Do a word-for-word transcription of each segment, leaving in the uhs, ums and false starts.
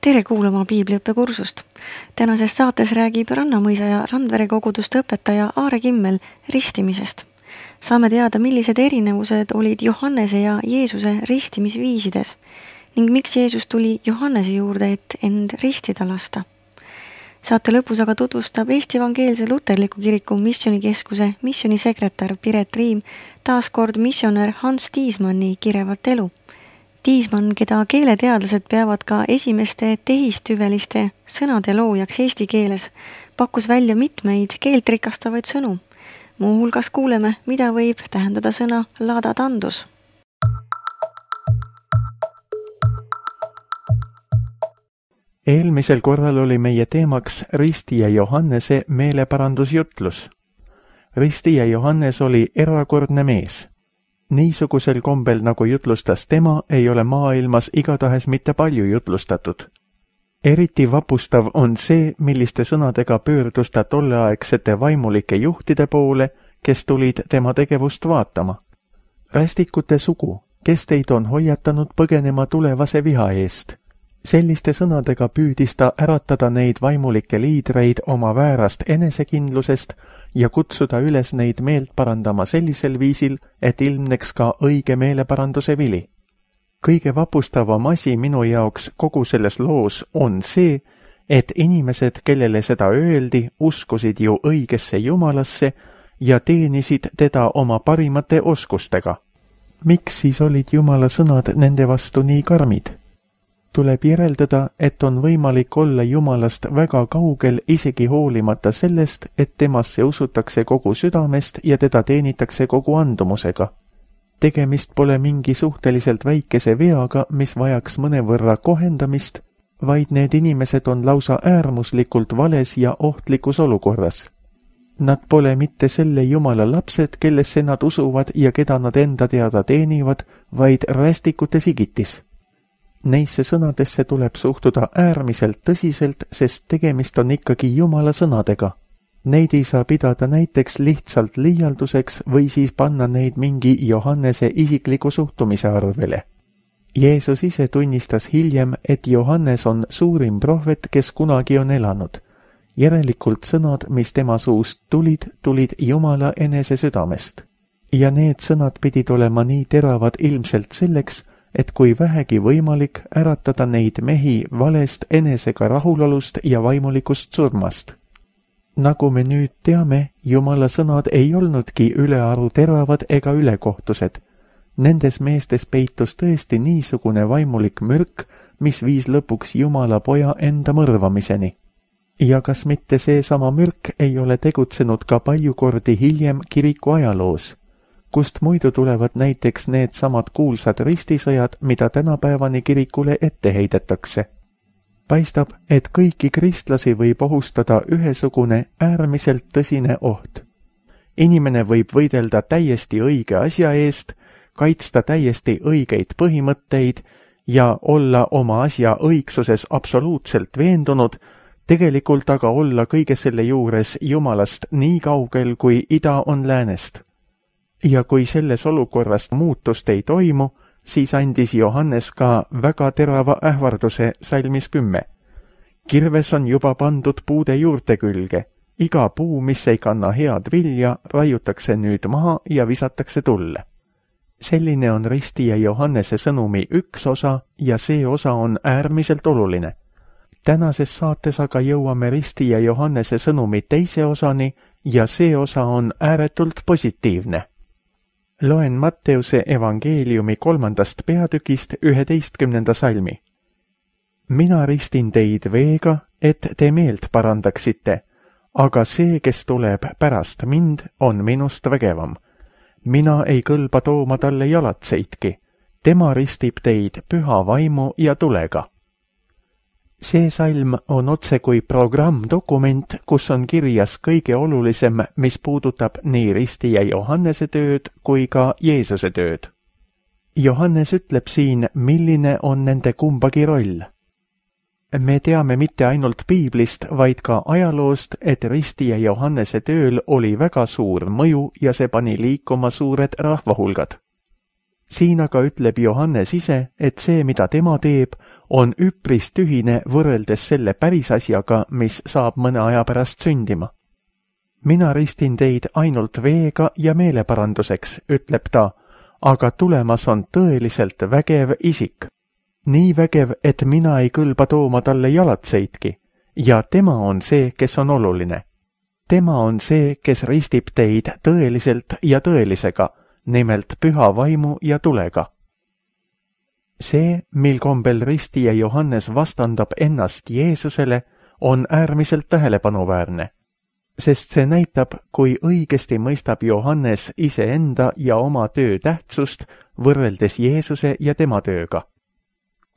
Tere kuulama piibliõppekursust. Tänases saates räägib Rannamõisa ja Randvere koguduste õpetaja Aare Kimmel ristimisest. Saame teada, millised erinevused olid Johannese ja Jeesuse ristimisviisides ning miks Jeesus tuli Johannese juurde, et end ristida lasta. Saate lõpus aga tutvustab Eesti Evangeelse Luterliku Kiriku missionikeskuse missionisekretär Piret Riim taas kord missionär Hans Tiismanni kirevat elu. Tiismann, keda keeleteadlased peavad ka esimeste tehistüveliste sõnade loojaks eesti keeles, pakkus välja mitmeid keelt rikastavaid sõnu. Muuhulgas kuuleme, mida võib tähendada sõna ladatandus. Eelmisel korral oli meie teemaks Ristija Johannese meeleparandusjutlus. Ristija Johannes oli erakordne mees. Niisugusel kombel, nagu jutlustas tema, ei ole maailmas igatahes mitte palju jutlustatud. Eriti vapustav on see, milliste sõnadega pöördus ta tolleaegsete vaimulike juhtide poole, kes tulid tema tegevust vaatama. Rästikute sugu, kes teid on hoiatanud põgenema tulevase viha eest. Selliste sõnadega püüdis ta äratada neid vaimulikke liidreid oma väärast enesekindlusest ja kutsuda üles neid meelt parandama sellisel viisil, et ilmneks ka õige meeleparanduse vili. Kõige vapustavam asi minu jaoks kogu selles loos on see, et inimesed, kellele seda öeldi, uskusid ju õigesse Jumalasse ja teenisid teda oma parimate oskustega. Miks siis olid Jumala sõnad nende vastu nii karmid? Tuleb järeldada, et on võimalik olla Jumalast väga kaugel isegi hoolimata sellest, et temasse usutakse kogu südamest ja teda teenitakse kogu andumusega. Tegemist pole mingi suhteliselt väikese veaga, mis vajaks mõnevõrra kohendamist, vaid need inimesed on lausa äärmuslikult vales ja ohtlikus olukorras. Nad pole mitte selle Jumala lapsed, kellesse nad usuvad ja keda nad enda teada teenivad, vaid rästikute sigitis. Neisse sõnadesse tuleb suhtuda äärmiselt tõsiselt, sest tegemist on ikkagi Jumala sõnadega. Neid ei saa pidada näiteks lihtsalt liialduseks või siis panna neid mingi Johannese isikliku suhtumise arvele. Jeesus ise tunnistas hiljem, et Johannes on suurim prohvet, kes kunagi on elanud. Järelikult sõnad, mis tema suust tulid, tulid Jumala enese südamest. Ja need sõnad pidid olema nii teravad ilmselt selleks, et kui vähegi võimalik äratada neid mehi valest enesega rahulolust ja vaimulikust surmast. Nagu me nüüd teame, Jumala sõnad ei olnudki ülearu teravad ega ülekohtused. Nendes meestes peitus tõesti niisugune vaimulik mürk, mis viis lõpuks Jumala poja enda mõrvamiseni. Ja kas mitte see sama mürk ei ole tegutsenud ka palju kordi hiljem kiriku ajaloos, kust muidu tulevad näiteks need samad kuulsad ristisõjad, mida tänapäevani kirikule ette heidetakse. Paistab, et kõiki kristlasi võib ohustada ühesugune äärmiselt tõsine oht. Inimene võib võidelda täiesti õige asja eest, kaitsta täiesti õigeid põhimõtteid ja olla oma asja õigsuses absoluutselt veendunud, tegelikult aga olla kõige selle juures Jumalast nii kaugel, kui ida on läänest. Ja kui selles olukorras muutust ei toimu, siis andis Johannes ka väga terava ähvarduse salmis kümme. Kirves on juba pandud puude juurte külge. Iga puu, mis ei kanna head vilja, raiutakse nüüd maha ja visatakse tulle. Selline on Ristija Johannese sõnumi üks osa ja see osa on äärmiselt oluline. Tänases saates aga jõuame Ristija Johannese sõnumi teise osani ja see osa on ääretult positiivne. Loen Matteuse evangeeliumi kolmandast peatükist üheteistkümnenda salmi. Mina ristin teid veega, et te meelt parandaksite, aga see, kes tuleb pärast mind, on minust vägevam. Mina ei kõlba tooma talle jalatseidki. Tema ristib teid püha vaimu ja tulega. See salm on otse kui programmdokument, kus on kirjas kõige olulisem, mis puudutab nii Ristija Johannese tööd kui ka Jeesuse tööd. Johannes ütleb siin, milline on nende kumbagi roll. Me teame mitte ainult piiblist, vaid ka ajaloost, et Ristija Johannese tööl oli väga suur mõju ja see pani liikuma suured rahvahulgad. siin aga ütleb Johannes ise, et see, mida tema teeb, on üpris tühine võrreldes selle päris asjaga, mis saab mõne aja pärast sündima. mina ristin teid ainult veega ja meeleparanduseks, ütleb ta, aga tulemas on tõeliselt vägev isik. nii vägev, et mina ei kõlba tooma talle jalatseidki, ja tema on see, kes on oluline. tema on see, kes ristib teid tõeliselt ja tõelisega, nimelt püha vaimu ja tulega. see, mil kombel ristija Johannes vastandab ennast Jeesusele, on äärmiselt tähelepanuväärne, sest see näitab, kui õigesti mõistab Johannes iseenda ja oma töö tähtsust võrreldes Jeesuse ja tema tööga.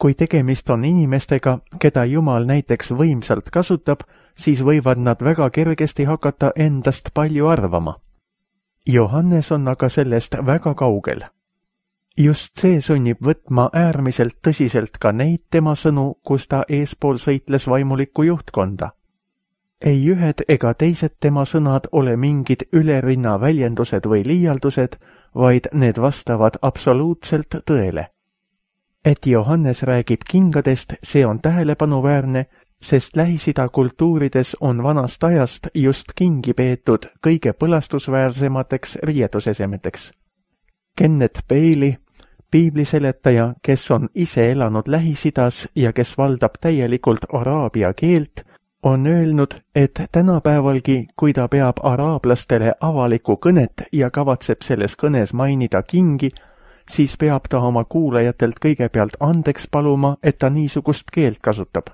kui tegemist on inimestega, keda Jumal näiteks võimsalt kasutab, siis võivad nad väga kergesti hakata endast palju arvama. Johannes on aga sellest väga kaugel. Just see sunnib võtma äärmiselt tõsiselt ka neid tema sõnu, kus ta eespool sõitles vaimulikku juhtkonda. Ei ühed ega teised tema sõnad ole mingid ülerinna väljendused või liialdused, vaid need vastavad absoluutselt tõele. Et Johannes räägib kingadest, see on tähelepanuväärne, sest Lähis-Ida kultuurides on vanast ajast just kingi peetud kõige põlastusväärsemateks riietusesemeteks. Kenneth Bailey, piibliseletaja, kes on ise elanud Lähis-Idas ja kes valdab täielikult araabia keelt, on öelnud, et tänapäevalgi, kui ta peab araablastele avalikku kõnet ja kavatseb selles kõnes mainida kingi, siis peab ta oma kuulajatelt kõigepealt andeks paluma, et ta niisugust keelt kasutab.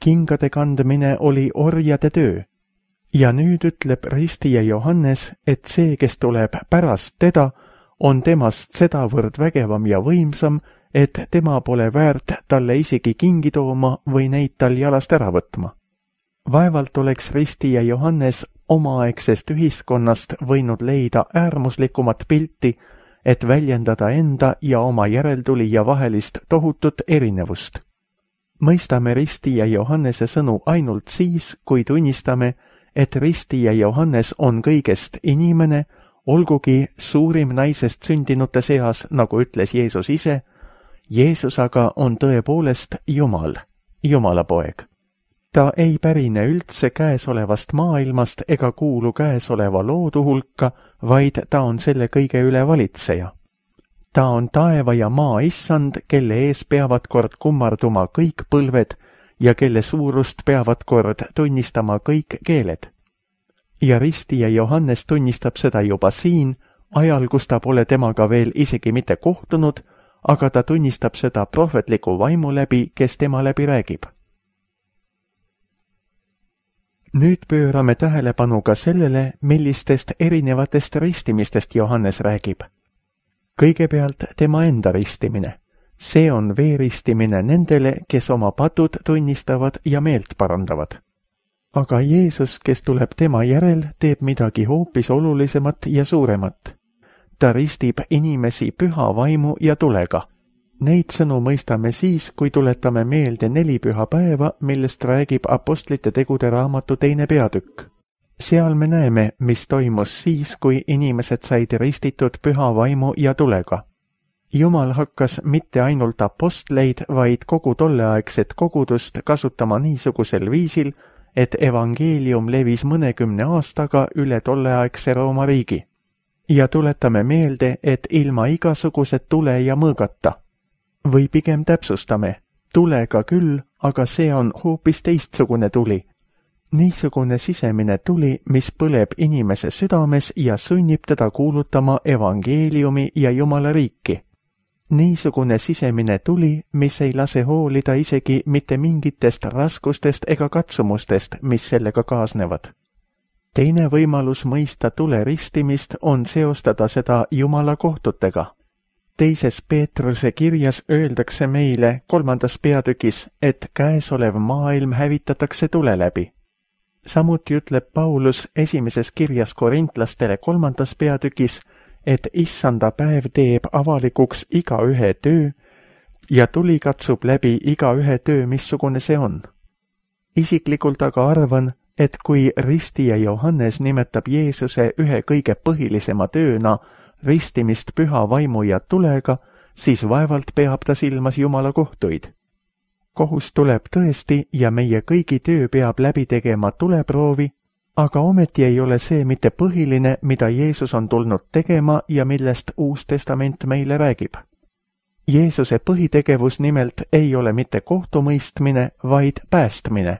Kingade kandmine oli orjade töö. Ja nüüd ütleb ristija Johannes, et see, kes tuleb pärast teda, on temast sedavõrd vägevam ja võimsam, et tema pole väärt talle isegi kingi tooma või neid tal jalast ära võtma. Vaevalt oleks ristija Johannes omaaegsest ühiskonnast võinud leida äärmuslikumat pilti, et väljendada enda ja oma järeltulija vahelist tohutut erinevust. Mõistame ristija Johannese sõnu ainult siis, kui tunnistame, et ristija Johannes on kõigest inimene, olgugi suurim naisest sündinute seas, nagu ütles Jeesus ise, Jeesus aga on tõepoolest Jumal, Jumala poeg. Ta ei pärine üldse käesolevast maailmast ega kuulu käesoleva loodu hulka, vaid ta on selle kõige üle valitseja. Ta on taeva ja maa issand, kelle ees peavad kord kummarduma kõik põlved ja kelle suurust peavad kord tunnistama kõik keeled. Ja ristija Johannes tunnistab seda juba siin, ajal, kus ta pole temaga veel isegi mitte kohtunud, aga ta tunnistab seda prohvetliku vaimu läbi, kes tema läbi räägib. Nüüd pöörame tähelepanu ka sellele, millistest erinevatest ristimistest Johannes räägib. Kõigepealt tema enda ristimine. See on veeristimine nendele, kes oma patud tunnistavad ja meelt parandavad. Aga Jeesus, kes tuleb tema järel, teeb midagi hoopis olulisemat ja suuremat. Ta ristib inimesi püha vaimu ja tulega. Neid sõnu mõistame siis, kui tuletame meelde neli püha päeva, millest räägib Apostlite tegude raamatu teine peatükk. Seal me näeme, mis toimus siis, kui inimesed said ristitud püha vaimu ja tulega. Jumal hakkas mitte ainult apostleid, vaid kogu tolleaegset kogudust kasutama niisugusel viisil, et evangeelium levis mõnekümne aastaga üle tolleaegse Rooma riigi. Ja tuletame meelde, et ilma igasuguse tule ja mõõgata. Või pigem täpsustame, tulega küll, aga see on hoopis teistsugune tuli. Niisugune sisemine tuli, mis põleb inimese südames ja sunnib teda kuulutama evangeeliumi ja Jumala riiki. Niisugune sisemine tuli, mis ei lase hoolida isegi mitte mingitest raskustest ega katsumustest, mis sellega kaasnevad. Teine võimalus mõista tule ristimist on seostada seda Jumala kohtutega. Teises Peetruse kirjas öeldakse meile kolmandas peatükis, et käesolev maailm hävitatakse tule läbi. Samuti ütleb Paulus esimeses kirjas korintlastele kolmandas peatükis, et issanda päev teeb avalikuks iga ühe töö ja tuli katsub läbi iga ühe töö, missugune see on. Isiklikult aga arvan, et kui ristija Johannes nimetab Jeesuse ühe kõige põhilisema tööna ristimist püha vaimu ja tulega, siis vaevalt peab ta silmas Jumala kohtuid. Kohus tuleb tõesti ja meie kõigi töö peab läbi tegema tuleproovi, aga ometi ei ole see mitte põhiline, mida Jeesus on tulnud tegema ja millest Uus Testament meile räägib. Jeesuse põhitegevus nimelt ei ole mitte kohtumõistmine, vaid päästmine.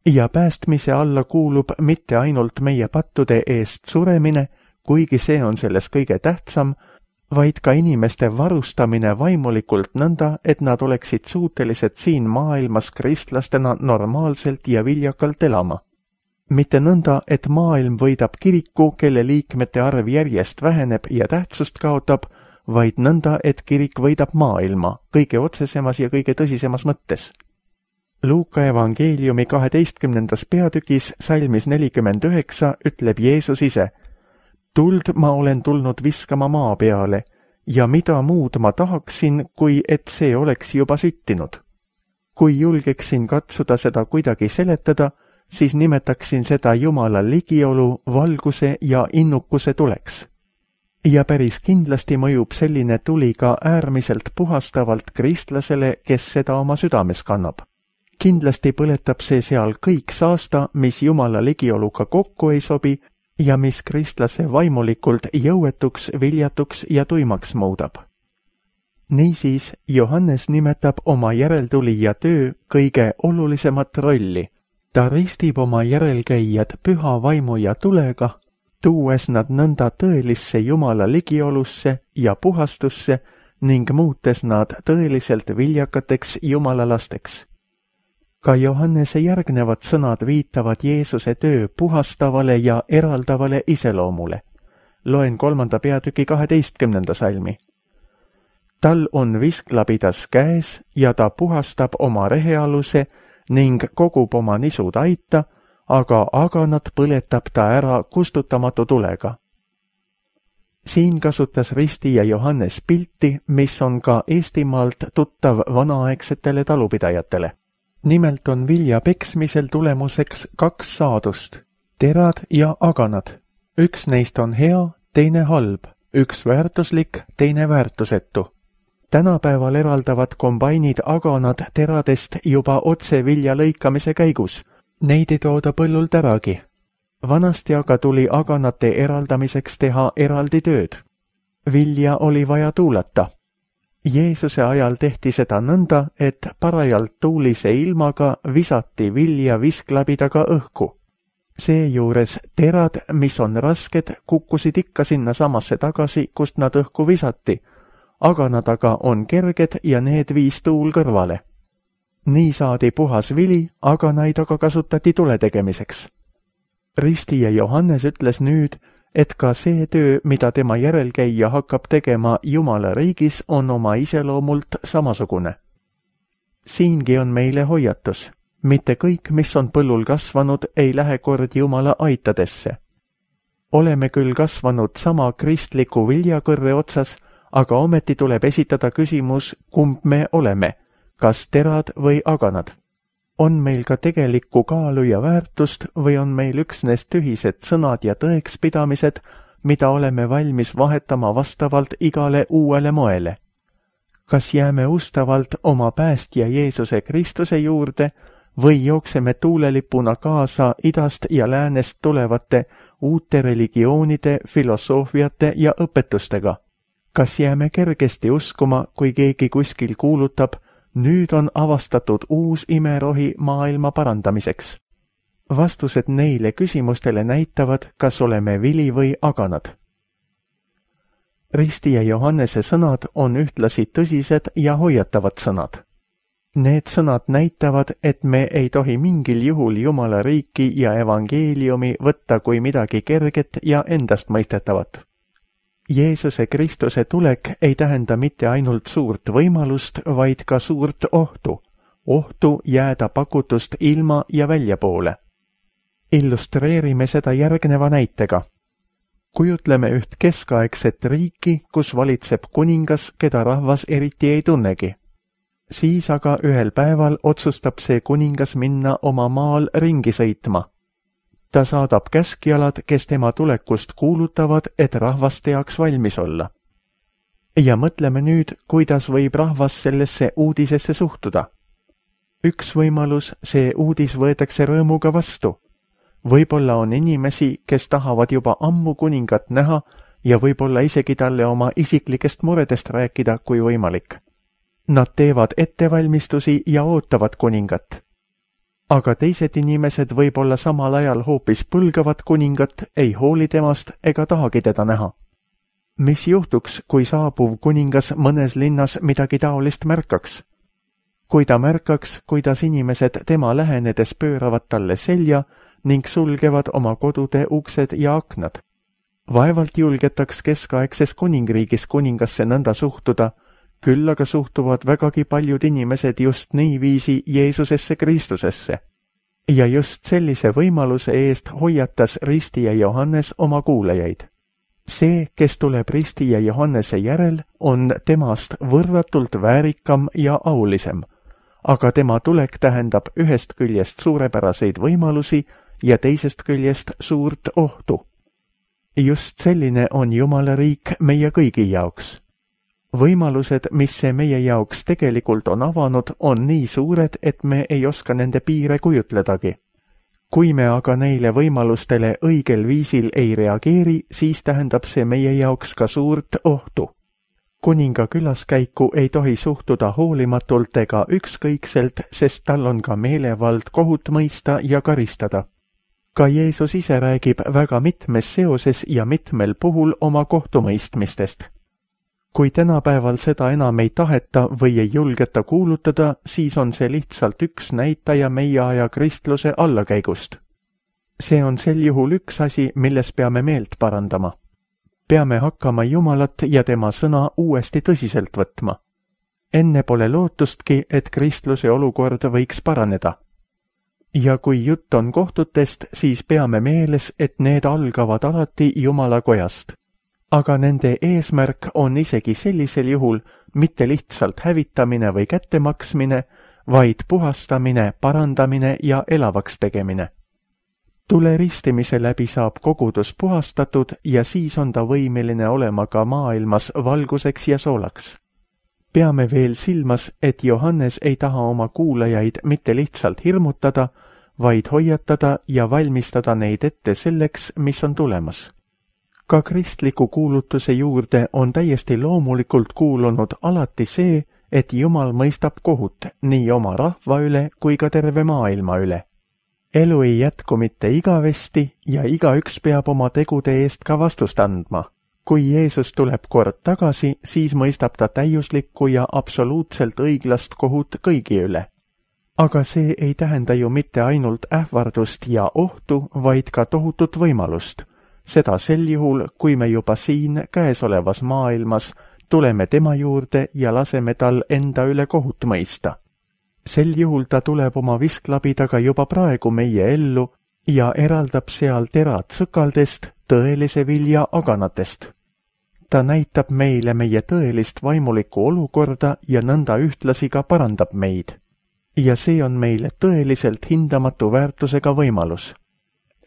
Ja päästmise alla kuulub mitte ainult meie pattude eest suremine, kuigi see on selles kõige tähtsam, vaid ka inimeste varustamine vaimulikult nõnda, et nad oleksid suutelised siin maailmas kristlastena normaalselt ja viljakalt elama. Mitte nõnda, et maailm võidab kiriku, kelle liikmete arv järjest väheneb ja tähtsust kaotab, vaid nõnda, et kirik võidab maailma kõige otsesemas ja kõige tõsisemas mõttes. Luuka evangeeliumi kaheteistkümnendas peatükis salmis nelikümmend üheksa ütleb Jeesus ise: tuld ma olen tulnud viskama maa peale ja mida muud ma tahaksin, kui et see oleks juba süttinud. Kui julgeksin katsuda seda kuidagi seletada, siis nimetaksin seda Jumala ligiolu, valguse ja innukuse tuleks. Ja päris kindlasti mõjub selline tuli ka äärmiselt puhastavalt kristlasele, kes seda oma südames kannab. Kindlasti põletab see seal kõik saasta, mis Jumala ligioluga kokku ei sobi ja mis kristlase vaimulikult jõuetuks, viljatuks ja tuimaks muudab. Niisiis, Johannes nimetab oma järeltulija töö kõige olulisemat rolli. Ta ristib oma järelkäijad püha vaimu ja tulega, tuues nad nõnda tõelisse Jumala ligiolusse ja puhastusse ning muutes nad tõeliselt viljakateks Jumala lasteks. Ka Johannese järgnevad sõnad viitavad Jeesuse töö puhastavale ja eraldavale iseloomule. Loen kolmanda peatüki kaheteistkümnenda salmi. Tal on visklabidas käes ja ta puhastab oma rehealuse ning kogub oma nisud aita, aga aganat põletab ta ära kustutamatu tulega. Siin kasutas ristija Johannes pilti, mis on ka Eestimaalt tuttav vanaaegsetele talupidajatele. Nimelt on vilja peksmisel tulemuseks kaks saadust, terad ja aganad. Üks neist on hea, teine halb, üks väärtuslik, teine väärtusetu. Tänapäeval eraldavad kombainid aganad teradest juba otse vilja lõikamise käigus. Neid ei tooda põllult äragi. Vanasti aga tuli aganate eraldamiseks teha eraldi tööd. Vilja oli vaja tuulata. Jeesuse ajal tehti seda nõnda, et parajalt tuulise ilmaga visati vilja visklabidaga õhku. Seejuures terad, mis on rasked, kukkusid ikka sinna samasse tagasi, kust nad õhku visati, aga nad aga on kerged ja need viis tuul kõrvale. Nii saadi puhas vili, aga neid aga kasutati tule tegemiseks. Ristija Johannes ütles nüüd, et ka see töö, mida tema järelkäija hakkab tegema Jumala riigis, on oma iseloomult samasugune. Siingi on meile hoiatus. Mitte kõik, mis on põllul kasvanud, ei lähe kord Jumala aitadesse. Oleme küll kasvanud sama kristliku viljakõrre otsas, aga ometi tuleb esitada küsimus, kumb me oleme, kas terad või aganad. On meil ka tegelikku kaalu ja väärtust või on meil üksnes tühised sõnad ja tõekspidamised, mida oleme valmis vahetama vastavalt igale uuele moele? Kas jääme ustavalt oma päästja Jeesuse Kristuse juurde või jookseme tuulelipuna kaasa idast ja läänest tulevate uute religioonide, filosoofiate ja õpetustega? Kas jääme kergesti uskuma, kui keegi kuskil kuulutab, nüüd on avastatud uus imerohi maailma parandamiseks? Vastused neile küsimustele näitavad, kas oleme vili või aganad. Ristija Johannese sõnad on ühtlasi tõsised ja hoiatavad sõnad. Need sõnad näitavad, et me ei tohi mingil juhul Jumala riiki ja evangeeliumi võtta kui midagi kerget ja endastmõistetavat. Jeesuse Kristuse tulek ei tähenda mitte ainult suurt võimalust, vaid ka suurt ohtu. Ohtu jääda pakutust ilma ja väljapoole. Illustreerime seda järgneva näitega. Kujutleme üht keskaegset riiki, kus valitseb kuningas, keda rahvas eriti ei tunnegi. Siis aga ühel päeval otsustab see kuningas minna oma maal ringi sõitma. ta saadab käskjalad, kes tema tulekust kuulutavad, et rahvaste jaoks valmis olla. Ja mõtleme nüüd, kuidas võib rahvas sellesse uudisesse suhtuda. Üks võimalus, see uudis võetakse rõõmuga vastu. Võib-olla on inimesi, kes tahavad juba ammu kuningat näha ja võib-olla isegi talle oma isiklikest muredest rääkida, kui võimalik. Nad teevad ettevalmistusi ja ootavad kuningat. Aga teised inimesed võib-olla samal ajal hoopis põlgavad kuningat, ei hooli temast ega tahagi teda näha. Mis juhtuks, kui saabuv kuningas mõnes linnas midagi taolist märkaks? Kui ta märkaks, kuidas inimesed tema lähenedes pööravad talle selja ning sulgevad oma kodude uksed ja aknad. Vaevalt julgetaks keskaegses kuningriigis kuningasse nõnda suhtuda, küll aga suhtuvad vägagi paljud inimesed just niiviisi Jeesusesse Kristusesse. Ja just sellise võimaluse eest hoiatas ristija Johannes oma kuulajaid. See, kes tuleb ristija Johannese järel, on temast võrratult väärikam ja aulisem, aga tema tulek tähendab ühest küljest suurepäraseid võimalusi ja teisest küljest suurt ohtu. Just selline on Jumala riik meie kõigi jaoks. Võimalused, mis see meie jaoks tegelikult on avanud, on nii suured, et me ei oska nende piire kujutledagi. Kui me aga neile võimalustele õigel viisil ei reageeri, siis tähendab see meie jaoks ka suurt ohtu. Kuninga külaskäiku ei tohi suhtuda hoolimatult ega ükskõikselt, sest tal on ka meelevald kohut mõista ja karistada. Ka Jeesus ise räägib väga mitmes seoses ja mitmel puhul oma kohtumõistmistest. Kui tänapäeval seda enam ei taheta või ei julgeta kuulutada, siis on see lihtsalt üks näitaja meie aja kristluse allakäigust. See on sel juhul üks asi, milles peame meelt parandama. Peame hakkama Jumalat ja tema sõna uuesti tõsiselt võtma. Enne pole lootustki, et kristluse olukord võiks paraneda. Ja kui jutt on kohtutest, siis peame meeles, et need algavad alati Jumala kojast. Aga nende eesmärk on isegi sellisel juhul mitte lihtsalt hävitamine või kättemaksmine, vaid puhastamine, parandamine ja elavaks tegemine. Tule ristimise läbi saab kogudus puhastatud ja siis on ta võimeline olema ka maailmas valguseks ja soolaks. Peame veel silmas, et Johannes ei taha oma kuulajaid mitte lihtsalt hirmutada, vaid hoiatada ja valmistada neid ette selleks, mis on tulemas. Ka kristliku kuulutuse juurde on täiesti loomulikult kuulunud alati see, et Jumal mõistab kohut nii oma rahva üle kui ka terve maailma üle. Elu ei jätku mitte igavesti ja igaüks peab oma tegude eest ka vastust andma. Kui Jeesus tuleb kord tagasi, siis mõistab ta täiuslikku ja absoluutselt õiglast kohut kõigi üle. Aga see ei tähenda ju mitte ainult ähvardust ja ohtu, vaid ka tohutut võimalust. Seda sel juhul, kui me juba siin käesolevas maailmas tuleme tema juurde ja laseme tal enda üle kohut mõista. Sel juhul ta tuleb oma visklabidaga juba praegu meie ellu ja eraldab seal terad sõkaldest, tõelise vilja aganatest. Ta näitab meile meie tõelist vaimulikku olukorda ja nõnda ühtlasi ka parandab meid. Ja see on meile tõeliselt hindamatu väärtusega võimalus.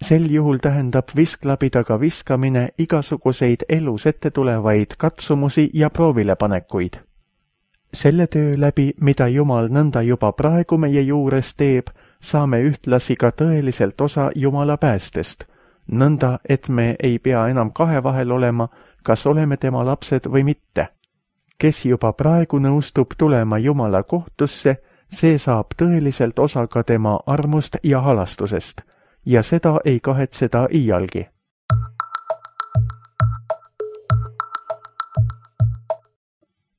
Sel juhul tähendab visklabidaga viskamine igasuguseid elus ette tulevaid katsumusi ja proovilepanekuid. Selle töö läbi, mida Jumal nõnda juba praegu meie juures teeb, saame ühtlasi ka tõeliselt osa Jumala päästest, nõnda, et me ei pea enam kahe vahel olema, kas oleme tema lapsed või mitte. Kes juba praegu nõustub tulema Jumala kohtusse, see saab tõeliselt osa ka tema armust ja halastusest. Ja seda ei kahetseda iialgi.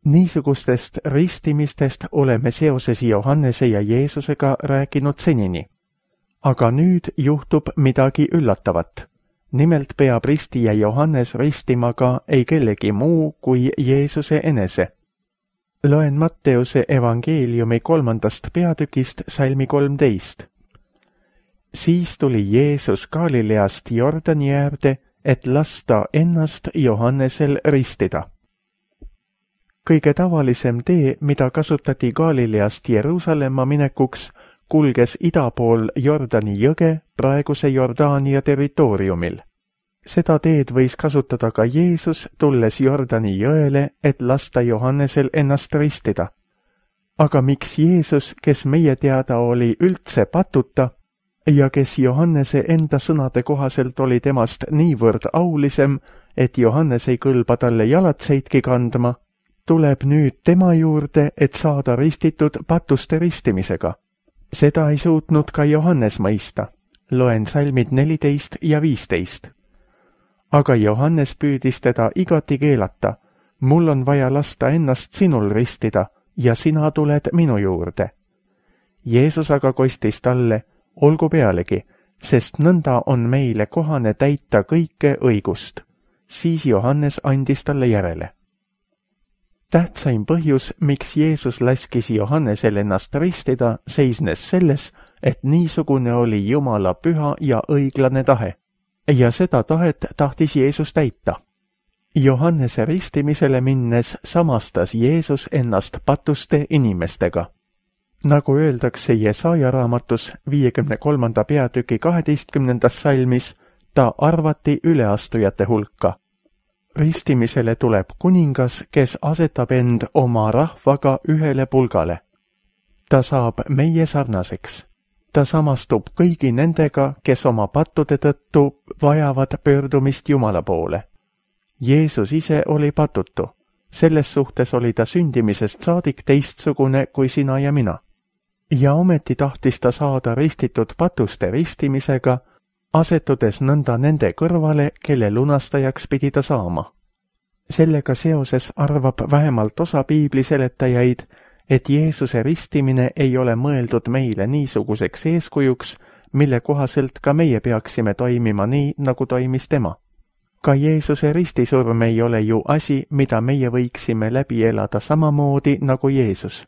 Niisugustest ristimistest oleme seoses Johannese ja Jeesusega rääkinud senini. Aga nüüd juhtub midagi üllatavat. Nimelt peab ristija Johannes ristima ka ei kellegi muu kui Jeesuse enese. Loen Matteuse evangeeliumi kolmandast peatükist salmi kolmteist. Siis tuli Jeesus Galileast Jordani äärde, et lasta ennast Johannesel ristida. Kõige tavalisem tee, mida kasutati Galileast Jeruusalemma minekuks, kulges ida pool Jordani jõge praeguse Jordaania territooriumil. Seda teed võis kasutada ka Jeesus, tulles Jordani jõele, et lasta Johannesel ennast ristida. Aga miks Jeesus, kes meie teada oli üldse patuta ja kes Johannese enda sõnade kohaselt oli temast niivõrd aulisem, et Johannes ei kõlba talle jalatseidki kandma, tuleb nüüd tema juurde, et saada ristitud patuste ristimisega. Seda ei suutnud ka Johannes mõista. Loen salmid neliteist ja viisteist. Aga Johannes püüdis teda igati keelata. Mul on vaja lasta ennast sinul ristida ja sina tuled minu juurde. Jeesus aga kostis talle, olgu pealegi, sest nõnda on meile kohane täita kõike õigust. Siis Johannes andis talle järele. Tähtsaim põhjus, miks Jeesus laskis Johannesel ennast ristida, seisnes selles, et niisugune oli Jumala püha ja õiglane tahe. Ja seda tahet tahtis Jeesus täita. Johannese ristimisele minnes samastas Jeesus ennast patuste inimestega. Nagu öeldakse Jesaja raamatus viiekümne kolmanda peatüki kaheteistkümnendas salmis, ta arvati üleastujate hulka. Ristimisele tuleb kuningas, kes asetab end oma rahvaga ühele pulgale. Ta saab meie sarnaseks. Ta samastub kõigi nendega, kes oma pattude tõttu vajavad pöördumist Jumala poole. Jeesus ise oli patutu. Selles suhtes oli ta sündimisest saadik teistsugune kui sina ja mina. Ja ometi tahtis ta saada ristitud patuste ristimisega, asetudes nõnda nende kõrvale, kelle lunastajaks pidi ta saama. Sellega seoses arvab vähemalt osa piibli seletajaid, et Jeesuse ristimine ei ole mõeldud meile niisuguseks eeskujuks, mille kohaselt ka meie peaksime toimima nii, nagu toimis tema. Ka Jeesuse ristisurm ei ole ju asi, mida meie võiksime läbi elada samamoodi nagu Jeesus.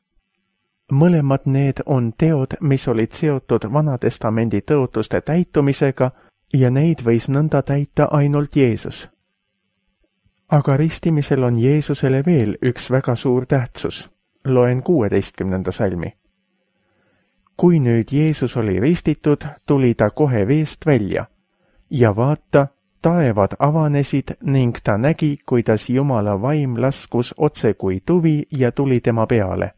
Mõlemad need on teod, mis olid seotud Vanatestamendi tõotuste täitumisega ja neid võis nõnda täita ainult Jeesus. Aga ristimisel on Jeesusele veel üks väga suur tähtsus. Loen kuueteistkümnenda salmi. Kui nüüd Jeesus oli ristitud, tuli ta kohe veest välja ja vaata, taevad avanesid ning ta nägi, kuidas Jumala vaim laskus otse kui tuvi ja tuli tema peale.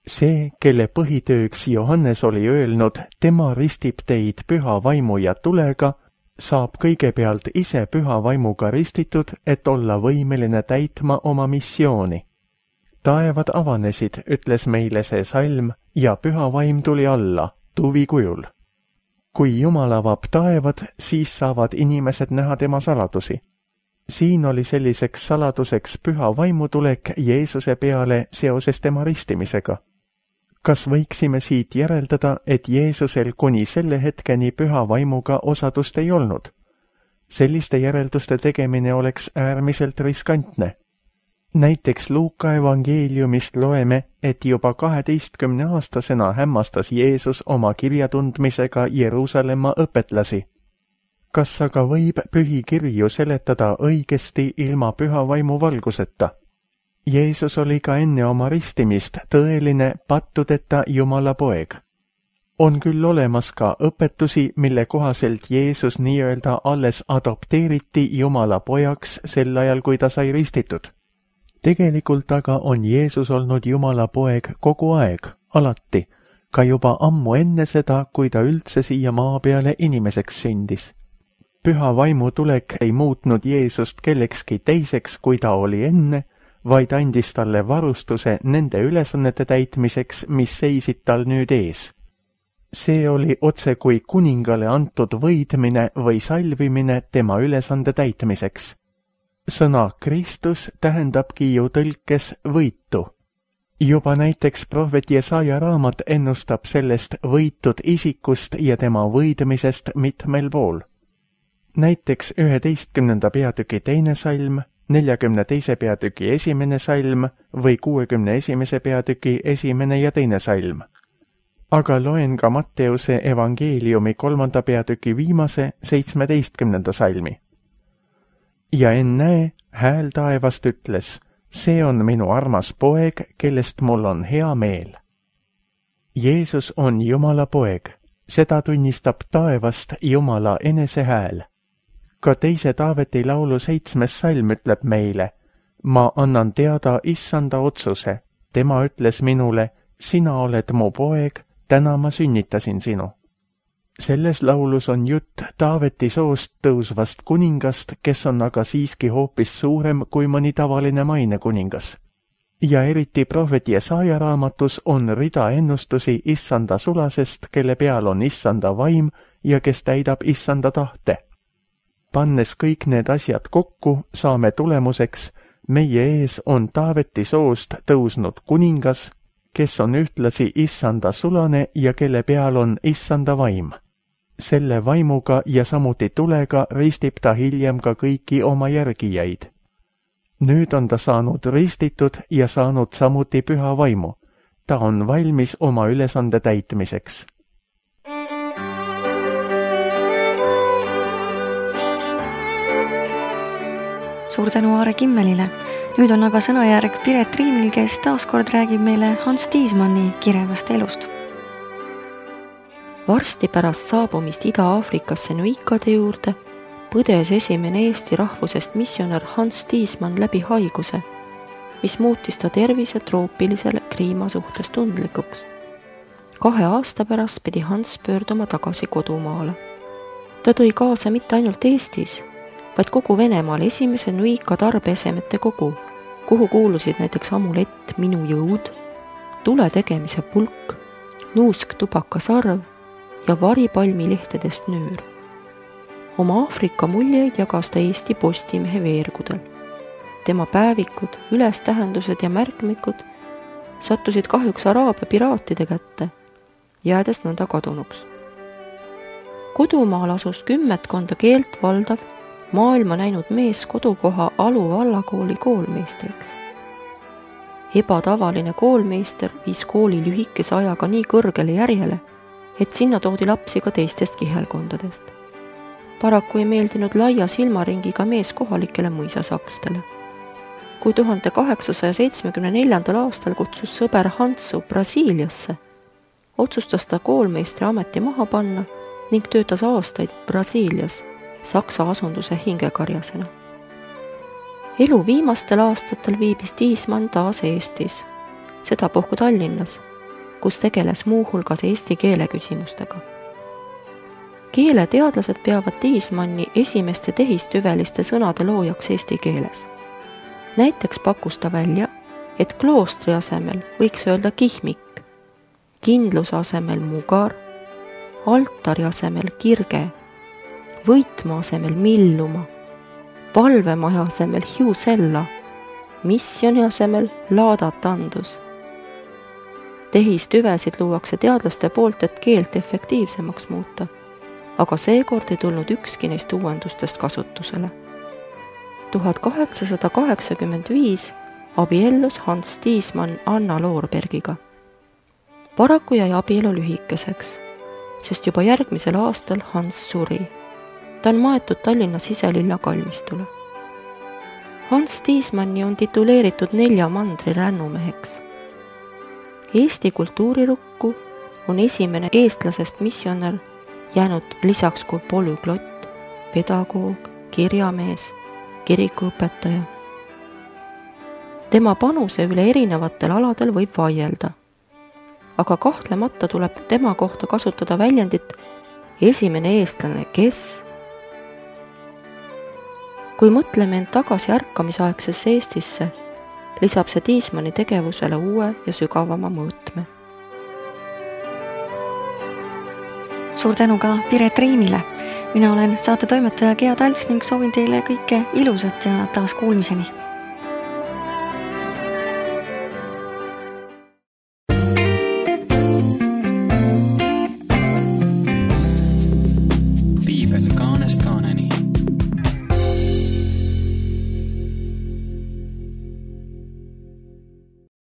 See, kelle põhitööks Johannes oli öelnud, tema ristib teid püha vaimu ja tulega, saab kõigepealt ise püha vaimuga ristitud, et olla võimeline täitma oma missiooni. Taevad avanesid, ütles meile see salm, ja püha vaim tuli alla, tuvi kujul. Kui Jumal avab taevad, siis saavad inimesed näha tema saladusi. Siin oli selliseks saladuseks püha vaimutulek Jeesuse peale seoses tema ristimisega. Kas võiksime siit järeldada, et Jeesusel kuni selle hetkeni püha vaimuga osadust ei olnud? Selliste järelduste tegemine oleks äärmiselt riskantne. Näiteks Luuka evangeeliumist loeme, et juba kaheteistkümne aastasena hämmastas Jeesus oma kirjatundmisega Jeruusalemma õpetlasi. Kas aga võib pühi kirju seletada õigesti ilma püha vaimu valguseta? Jeesus oli ka enne oma ristimist tõeline pattudeta Jumala poeg. On küll olemas ka õpetusi, mille kohaselt Jeesus nii-öelda alles adopteeriti Jumala pojaks sel ajal, kui ta sai ristitud. Tegelikult aga on Jeesus olnud Jumala poeg kogu aeg, alati, ka juba ammu enne seda, kui ta üldse siia maa peale inimeseks sündis. Püha vaimu tulek ei muutnud Jeesust kellekski teiseks, kui ta oli enne, vaid andis talle varustuse nende ülesannete täitmiseks, mis seisid tal nüüd ees. See oli otse kui kuningale antud võidmine või salvimine tema ülesande täitmiseks. Sõna Kristus tähendabki ju tõlkes võitu. Juba näiteks prohvet Jesaja raamat ennustab sellest võitud isikust ja tema võidmisest mitmel pool. Näiteks üheteistkümnenda peatüki teine salm, neljakümne teise peatüki esimene salm või kuuekümne esimese peatüki esimene ja teine salm. Aga loen ka Matteuse evangeeliumi kolmanda peatüki viimase seitsmeteistkümnenda salmi. Ja ennäe, hääl taevast ütles, see on minu armas poeg, kellest mul on hea meel. Jeesus on Jumala poeg, seda tunnistab taevast Jumala enese hääl. Ka teise Taaveti laulu seitsmes salm ütleb meile, ma annan teada issanda otsuse, tema ütles minule, sina oled mu poeg, täna ma sünnitasin sinu. Selles laulus on jutt Taaveti soost tõusvast kuningast, kes on aga siiski hoopis suurem kui mõni tavaline maine kuningas. Ja eriti prohvet Jesaja raamatus on rida ennustusi issanda sulasest, kelle peal on issanda vaim ja kes täidab issanda tahte. Pannes kõik need asjad kokku, saame tulemuseks, meie ees on Taaveti soost tõusnud kuningas, kes on ühtlasi issanda sulane ja kelle peal on issanda vaim. Selle vaimuga ja samuti tulega ristib ta hiljem ka kõiki oma järgijaid. Nüüd on ta saanud ristitud ja saanud samuti püha vaimu. Ta on valmis oma ülesande täitmiseks. Suur tänu Aare Kimmelile. Nüüd on aga sõnajärg Piret Riimil, kes taaskord räägib meile Hans Tiismanni kirevast elust. Varsti pärast saabumist Ida-Aafrikasse Nuikade juurde põdes esimene Eesti rahvusest missionär Hans Tiismann läbi haiguse, mis muutis ta tervise troopilisele kliima suhtes tundlikuks. Kahe aasta pärast pidi Hans pöörduma tagasi kodumaale. Ta tõi kaasa mitte ainult Eestis, vaid kogu Venemaal esimese Nuika tarbeesemete kogu, kuhu kuulusid näiteks amulett Minu jõud, tule tegemise pulk, nuusk tubakasarv ja varipalmilehtedest nöör. Oma Aafrika muljeid jagas ta Eesti Postimehe veergudel. Tema päevikud, ülestähendused ja märkmikud sattusid kahjuks Araabia piraatide kätte, jäädes nõnda kadunuks. Kodumaal asus kümmetkonda keelt valdav, maailma näinud mees kodukoha Alu vallakooli koolmeistriks. Ebatavaline koolmeister viis kooli lühikese ajaga nii kõrgele järjele, et sinna toodi lapsi ka teistest kihelkondadest. Paraku ei meeldinud laia silmaringiga mees kohalikele mõisasakstele. Kui tuhande kaheksasaja seitsmekümne neljandal aastal kutsus sõber Hansu Brasiiliasse, otsustas ta koolmeistri ameti maha panna ning töötas aastaid Brasiilias Saksa asunduse hingekarjasena. Elu viimastel aastatel viibis Tiismann taas Eestis, sedapuhku Tallinnas, kus tegeles muu hulgas eesti keele küsimustega. Keeleteadlased peavad Tiismanni esimeste tehistüveliste sõnade loojaks eesti keeles. Näiteks pakkus ta välja, et kloostri asemel võiks öelda kihmik, kindluse asemel mugar, altari asemel kirge, võitma asemel milluma, palvemaja asemel hiusella, missioni asemel laadatandus. Tehistüvesid luuakse teadlaste poolt, et keelt efektiivsemaks muuta, aga seekord ei tulnud ükski neist uuendustest kasutusele. tuhat kaheksasada kaheksakümmend viis abiellus Hans Tiismann Anna Loorbergiga. Paraku jäi abielu lühikeseks, sest juba järgmisel aastal Hans suri. Ta on maetud Tallinna Siselinna kalmistule. Hans Tiismanni on tituleeritud nelja mandri rännumeheks. Eesti kultuurirukku on esimene eestlasest missionär jäänud lisaks kui polüglott, pedagoog, kirjamees, kirikuõpetaja. Tema panuse üle erinevatel aladel võib vaielda, aga kahtlemata tuleb tema kohta kasutada väljendit esimene eestlane, kes. Kui mõtleme end tagasi ärkamisaegsesse Eestisse, lisab see Tiismanni tegevusele uue ja sügavama mõõtme. Suur tänu ka Piret Riimile. Mina olen saate toimetaja Gea Talts ning soovin teile kõike ilusat ja taas kuulmiseni.